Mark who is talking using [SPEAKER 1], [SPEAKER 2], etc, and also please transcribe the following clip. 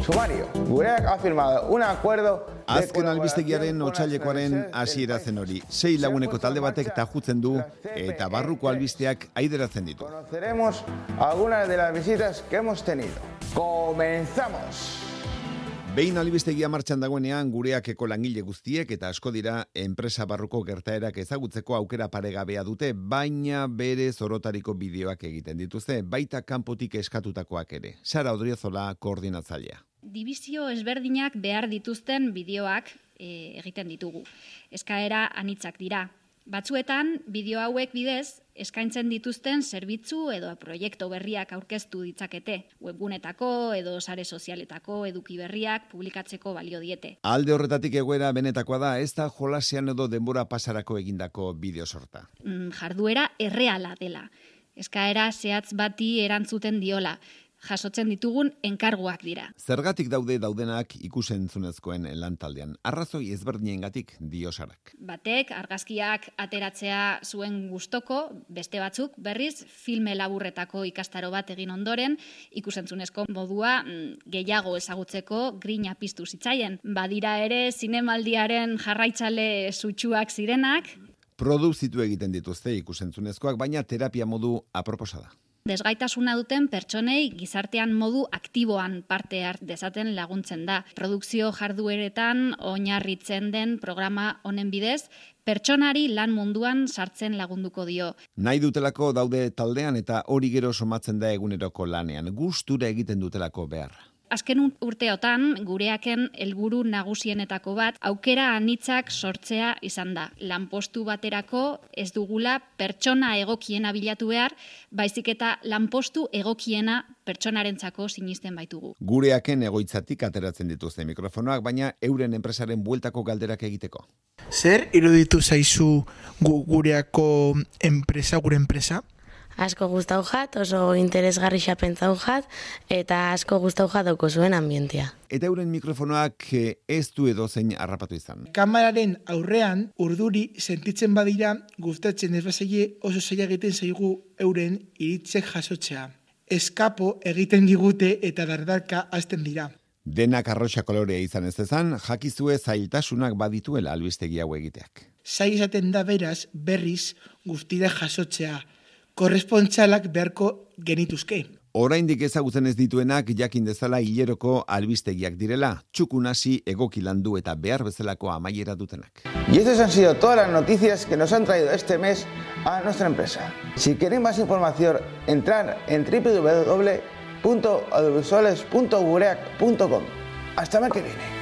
[SPEAKER 1] Sumario. Gureak ha firmado un acuerdo.
[SPEAKER 2] Azken albistegiaren otsailekoaren hasiera zen hori. 6 laguneko talde batek tajutzen du eta barruko albisteak aideratzen ditu.
[SPEAKER 1] Conoceremos algunas de las visitas que hemos tenido. Comenzamos.
[SPEAKER 2] Behin albistegia martxan dagoenean gureakeko langile guztiek eta asko dira enpresa barruko gertaerak ezagutzeko aukera paregabea dute, baina bere zorotariko bideoak egiten dituzte, baita kanpotik eskatutakoak ere. Sara Odriozola koordinatzailea.
[SPEAKER 3] Dibizio ezberdinak behar dituzten bideoak egiten ditugu. Eskaera anitzak dira. Batzuetan, bideo hauek bidez, eskaintzen dituzten zerbitzu edo proiektu berriak aurkeztu ditzakete. Webgunetako edo sare sozialetako eduki berriak publikatzeko balio diete.
[SPEAKER 2] Alde horretatik egoera benetakoa da, ez da jolasean edo denbora pasarako egindako bideo sorta.
[SPEAKER 3] Jarduera erreala dela. Eskaera zehatz bati erantzuten diola. Jasotzen ditugun enkarguak dira.
[SPEAKER 2] Zergatik daudenak ikusentzunezkoen lantaldean. Arrazoi ezberdinengatik dio Sarak.
[SPEAKER 3] Batek argazkiak ateratzea zuen gustoko, beste batzuk berriz filme laburretako ikastaro bat egin ondoren, ikusentzunezko modua gehiago ezagutzeko grina piztu zitzaien. Badira ere zinemaldiaren jarraitzale sutsuak zirenak.
[SPEAKER 2] Produzitu egiten dituzte ikusentzunezkoak, baina terapia modu aproposa da.
[SPEAKER 3] Desgaitasuna duten pertsonei gizartean modu aktiboan parte hart dezaten laguntzen da. Produkzio jardueretan oinarritzen den programa honen bidez, pertsonari lan munduan sartzen lagunduko dio.
[SPEAKER 2] Nahi dutelako daude taldean eta hori gero somatzen da eguneroko lanean, gustura egiten dutelako beharra.
[SPEAKER 3] Azken urteotan, gureaken helburu nagusienetako bat, aukera anitzak sortzea izan da. Lanpostu baterako ez dugula pertsona egokiena bilatu behar, baizik eta lanpostu egokiena pertsonarentzako sinisten baitugu.
[SPEAKER 2] Gureaken egoitzatik ateratzen dituzte mikrofonoak, baina euren enpresaren bueltako galderak egiteko.
[SPEAKER 4] Zer iruditu zaizu gureako gure enpresa?
[SPEAKER 5] Asko gustau jat, oso interesgarri pentsau jat, eta asko gustau jat dauko zuen ambientia.
[SPEAKER 2] Eta euren mikrofonoak ez du edozein harrapatu izan.
[SPEAKER 4] Kameraren aurrean urduri sentitzen badira gustatzen ez bazaie oso zaila egiten zaigu euren iritzek jasotzea. Eskapo egiten digute eta dardarka hasten dira.
[SPEAKER 2] Denak arroxa kolorea izan ez dezan, jakizue zailtasunak badituela albistegi hau egiteak.
[SPEAKER 4] Zaila izaten da beraz berriz guztira jasotzea. Korrespontsalak beharko genituzke.
[SPEAKER 2] Oraindik ezagutzen ez dituenak jakin dezala hileroko albistegiak direla, txukunasi egoki landu eta behar bezalako amaiera dutenak.
[SPEAKER 1] Y estas han sido todas las noticias que nos han traído este mes a nuestra empresa. Si queréis más información, entrar en www.audiovisuales.gureak.com. Hasta el mes que viene.